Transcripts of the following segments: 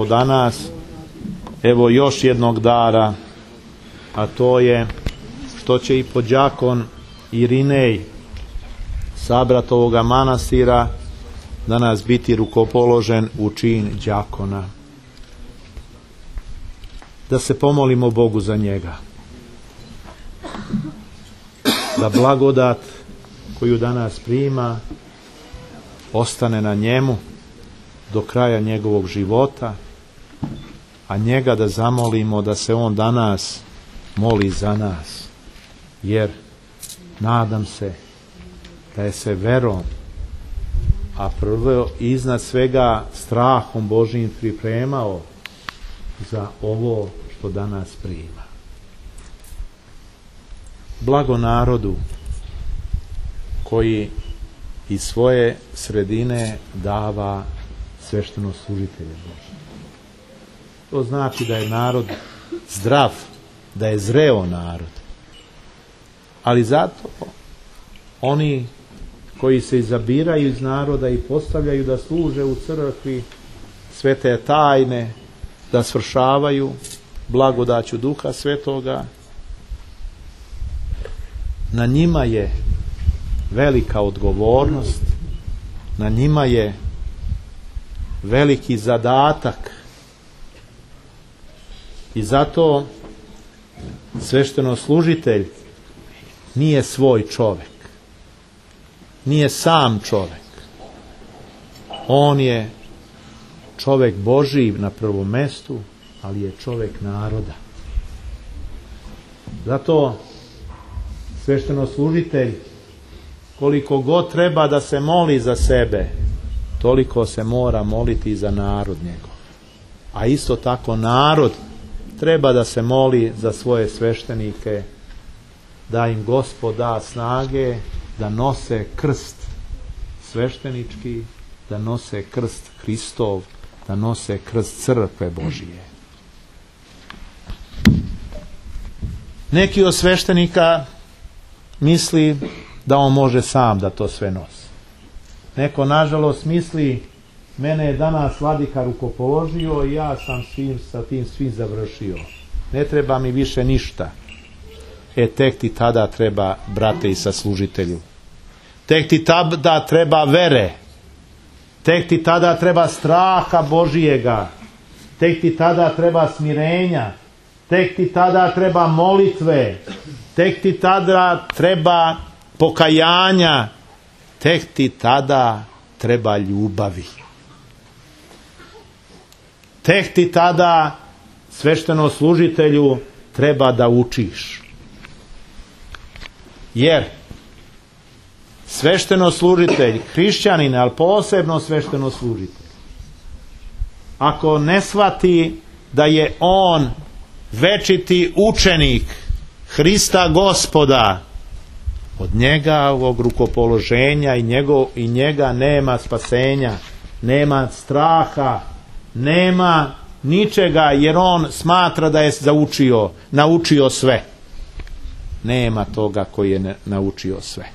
Danas, evo još jednog dara, a to je što će i podjakon Irinej, sabrat ovoga manastira, danas biti rukopoložen u čin đakona. Da se pomolimo Bogu za njega. Da blagodat koju danas prima ostane na njemu do kraja njegovog života, a njega da zamolimo da se on danas moli za nas, jer nadam se da je se verom, a prvo iznad svega strahom Božijim pripremao za ovo što danas prima. Blago narodu koji iz svoje sredine dava sveštenoslужitelje Božje. To znači da je narod zdrav, da je zreo narod. Ali zato oni koji se izabiraju iz naroda i postavljaju da služe u crkvi svete tajne, da svršavaju blagodaću Duha Svetoga, na njima je velika odgovornost, na njima je veliki zadatak, i zato sveštenoslужitelj nije svoj čovjek, nije sam čovjek, on je čovjek Božji na prvom mjestu, ali je čovjek naroda. Zato sveštenoslужitelj, koliko god treba da se moli za sebe, toliko se mora moliti i za narod njegov. A isto tako narod treba da se moli za svoje sveštenike, da im Gospod da snage da nose krst sveštenički, da nose krst Hristov, da nose krst crkve Božije. Neki od sveštenika misli da on može sam da to sve nosi. Neko nažalost misli, mene je danas vladika rukopoložio i ja sam sa tim svim završio. Ne treba mi više ništa. Tek ti tada treba, brate i saslužitelju. Tek ti tada treba vere. Tek ti tada treba straha Božijega. Tek ti tada treba smirenja. Tek ti tada treba molitve. Tek ti tada treba pokajanja. Tek ti tada treba ljubavi. Tek ti tada, sveštenoslужitelju, treba da učiš. Jer sveštenoslужitelj, hrišćanin, ali posebno sveštenoslужitelj, ako ne shvati da je on večiti učenik Hrista Gospoda, od njega, ovog rukopoloženja i njega nema spasenja, nema straha, nema ničega, jer on smatra da je naučio sve. Nema toga koji je naučio sve.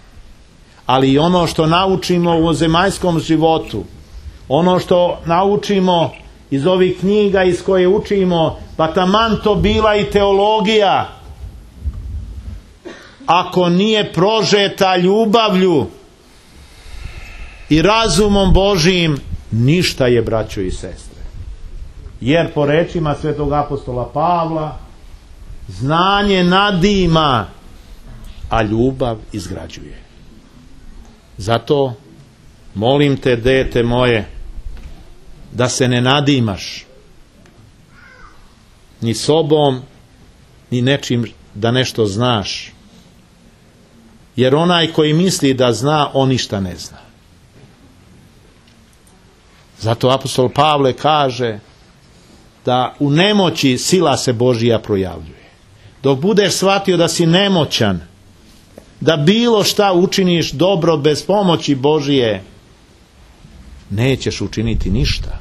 Ali ono što naučimo u zemaljskom životu, ono što naučimo iz ovih knjiga iz koje učimo, pa taman to bila i teologija, ako nije prožeta ljubavlju i razumom Božijim, ništa je, braćo i sestre. Jer po rečima svetog apostola Pavla, znanje nadima, a ljubav izgrađuje. Zato molim te, dete moje, da se ne nadimaš ni sobom, ni nečim da nešto znaš. Jer onaj koji misli da zna, on ništa ne zna. Zato apostol Pavle kaže da u nemoći sila se Božija projavljuje. Dok budeš shvatio da si nemoćan, da bilo šta učiniš dobro bez pomoći Božije, nećeš učiniti ništa.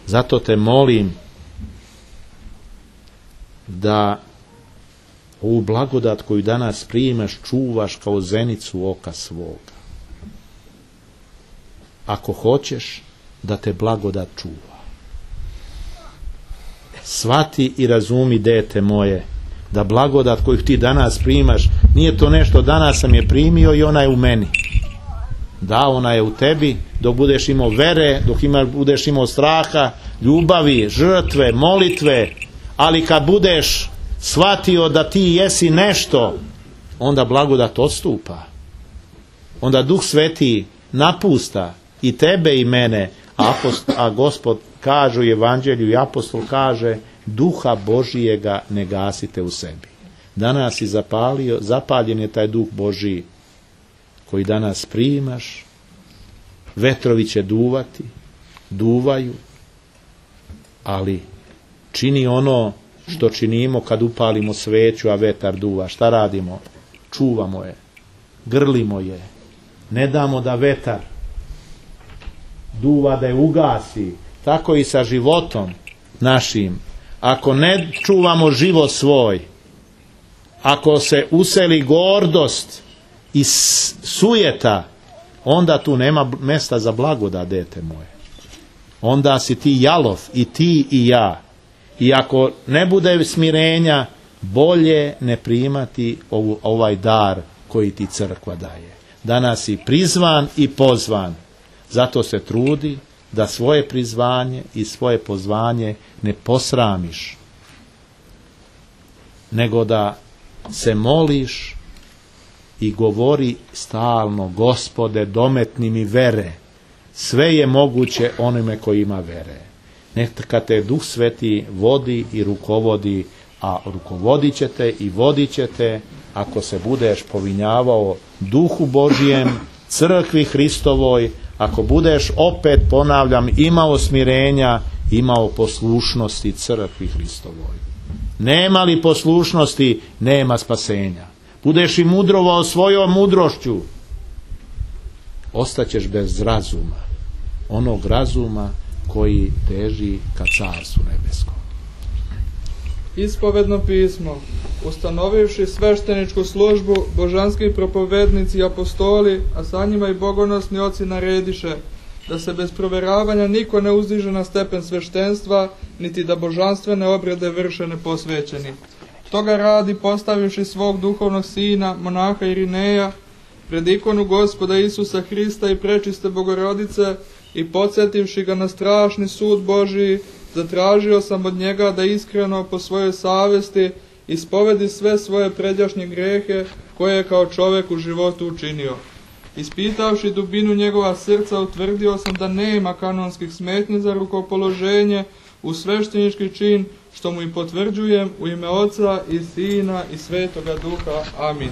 Zato te molim da ovu blagodat koju danas primaš čuvaš kao zenicu oka svoga. Ako hoćeš da te blagodat čuva. Shvati i razumi, dete moje, da blagodat koju ti danas primaš, nije to nešto danas sam je primio i ona je u meni. Da, ona je u tebi dok budeš imao vere, dok budeš imao straha, ljubavi, žrtve, molitve, ali kad budeš shvatio da ti jesi nešto, onda blagodat odstupa. Onda Duh Sveti napusta i tebe i mene, a Gospod kaže u Evanđelju i apostol kaže, Duha Božijega ne gasite u sebi. Danas si zapaljen je taj Duh Božiji koji danas primaš, vetrovi će duvati, duvaju, ali čini ono što činimo kad upalimo sveću, a vetar duva. Šta radimo? Čuvamo je, grlimo je, ne damo da vetar duva, da je ugasi. Tako i sa životom našim. Ako ne čuvamo život svoj, ako se useli gordost i sujeta, onda tu nema mesta za blagodat, dete moje. Onda si ti jalov, i ti i ja. I ako ne bude smirenja, bolje ne primati ovaj dar koji ti crkva daje. Danas si prizvan i pozvan. Zato se trudi da svoje prizvanje i svoje pozvanje ne posramiš, nego da se moliš i govori stalno, Gospode, dometni mi vere. Sve je moguće onome koji ima vere. Neka te Duh Sveti vodi i rukovodi, a rukovodit će te i vodit će te ako se budeš povinjavao Duhu Božijem, crkvi Hristovoj, ako budeš, opet ponavljam, imao smirenja, imao poslušnosti crkvi Hristovoj. Nema li poslušnosti, nema spasenja. Budeš i mudrovao svojom mudrošću, ostaćeš bez razuma, onog razuma koji teži ka Carstvu nebeskom. Ispovedno pismo. Ustanovivši svešteničku službu, božanski propovednici i apostoli, a sa njima i bogonosni oci narediše da se bez proveravanja niko ne uzdiže na stepen sveštenstva, niti da božanstvene obrede vrše neposvećeni. Toga radi, postavivši svog duhovnog sina, monaha Irineja, pred ikonu Gospoda Isusa Hrista i prečiste Bogorodice, i podsjetivši ga na strašni sud Božiji, zatražio sam od njega da iskreno po svojoj savesti ispovedi sve svoje pređašnje grehe koje je kao čovjek u životu učinio. Ispitavši dubinu njegova srca, utvrdio sam da nema kanonskih smetnji za rukopoloženje u sveštenički čin, što mu i potvrđujem u ime Oca i Sina i Svetoga Duha. Amin.